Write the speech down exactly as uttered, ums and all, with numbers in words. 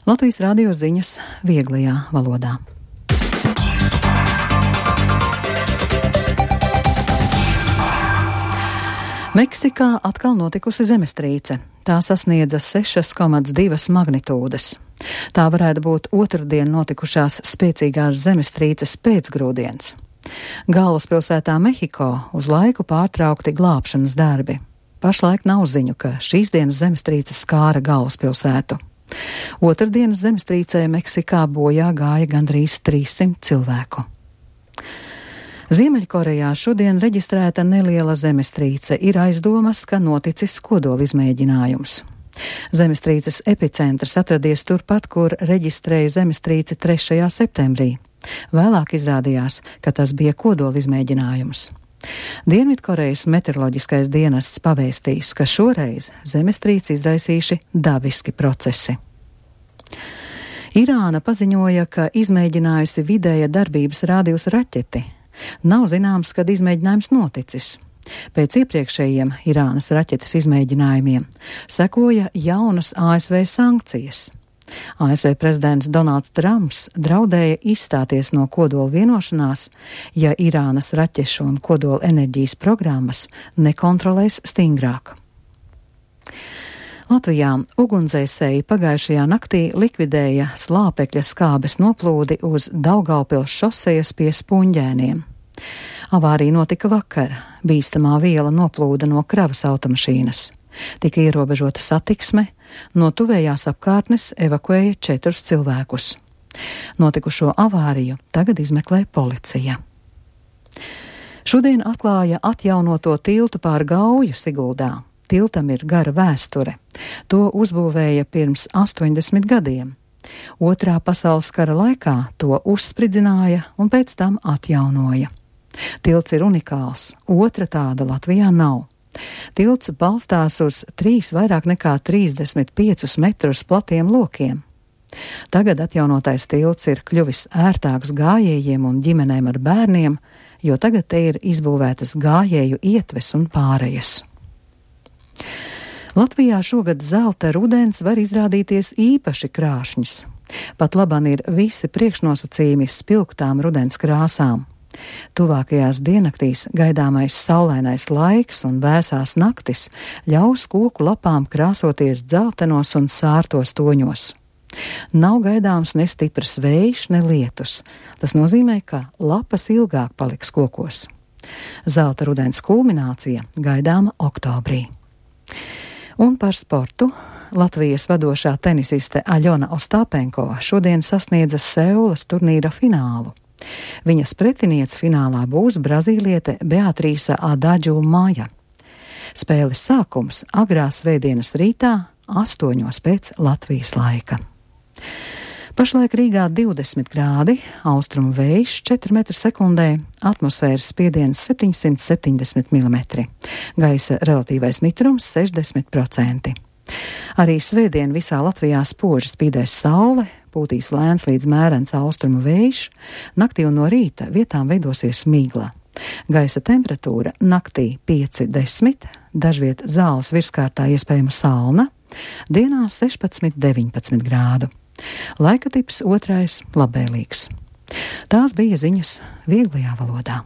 Latvijas radio ziņas vieglajā valodā. Meksikā atkal notikusi zemestrīce. Tā sasniedza sešas komats divas magnitūdas. Tā varētu būt otrdien notikušās spēcīgās zemestrīces pēcgrūdienis. Galvaspilsētā Mehiko uz laiku pārtraukti glābšanas darbi. Pašlaik nav ziņu, ka šīs dienas zemestrīce skāra galvaspilsētu. Otrdienas zemestrīcē Meksikā bojā gāja gandrīz trīssimt cilvēku. Ziemeļkorejā šodien reģistrēta neliela zemestrīce, ir aizdomas, ka noticis kodolizmēģinājums. Zemestrīces epicentrs atradies turpat, kur reģistrēja zemestrīci trešajā septembrī. Vēlāk izrādījās, ka tas bija kodolizmēģinājums. Dienvidkorejas meteoroloģiskais dienests pavēstījis, ka šoreiz zemestrīci izraisījuši dabiski procesi. Irāna paziņoja, ka izmēģinājusi vidēja darbības rādījus raķeti. Nav zināms, kad izmēģinājums noticis. Pēc iepriekšējiem Irānas raķetes izmēģinājumiem sekoja jaunas A S V sankcijas. A S V prezidents Donalds Trumps draudēja izstāties no kodola vienošanās, ja Irānas raķešu un kodola enerģijas programmas nekontrolēs stingrāk. Latvijā ugunsdzēsēji pagājušajā naktī likvidēja slāpekļa skābes noplūdi uz Daugavpils šosejas pie Spunģēniem. Avārija notika vakar. Bīstamā viela noplūda no kravas automašīnas. Tika ierobežota satiksme, no tuvējās apkārtnes evakuēja četrus cilvēkus. Notikušo avāriju tagad izmeklē policija. Šodien atklāja atjaunoto tiltu pār Gauju Siguldā. Tiltam ir gara vēsture. To uzbūvēja pirms astoņdesmit gadiem. Otrā pasaules kara laikā to uzspridzināja un pēc tam atjaunoja. Tilts ir unikāls, otra tāda Latvijā nav. Tilts balstās uz trīs vairāk nekā trīsdesmit piecus metrus platiem lokiem. Tagad atjaunotais tilts ir kļuvis ērtāks gājējiem un ģimenēm ar bērniem, jo tagad te ir izbūvētas gājēju ietves un pārejas. Latvijā šogad zelta rudens var izrādīties īpaši krāšņs. Pat laban ir visi priekšnosacījumi spilgtām rudens krāsām. Tuvākajās diennaktīs gaidāmais saulainais laiks un vēsās naktis ļaus koku lapām krāsoties dzeltenos un sārtos toņos. Nav gaidāms ne stiprs vējš, ne lietus. Tas nozīmē, ka lapas ilgāk paliks kokos. Zelta rudens kulminācija gaidāma oktobrī. Un par sportu. Latvijas vadošā tenisiste Aļona Ostāpenko šodien sasniedza Seulas turnīra finālu. Viņas pretiniece finālā būs brazīliete Beatrīsa Adadžu Maja. Spēles sākums agrā svētdienas rītā, astoņos pēc Latvijas laika. Pašlaik Rīgā divdesmit grādi, austrumu vējš četri metri sekundē, atmosfēras spiediens septiņsimt septiņdesmit milimetri, gaisa relatīvais mitrums sešdesmit procenti. Arī svētdien visā Latvijā spoži spīdēs saule, pūtīs lēns līdz mērens austrumu vējš, naktī un no rīta vietām veidosies migla. Gaisa temperatūra naktī pieci desmit, dažviet zāles virskārtā iespējama salna, dienā sešpadsmit deviņpadsmit grādu. Laika tips otrais labvēlīgs. Tās bija ziņas vieglajā valodā.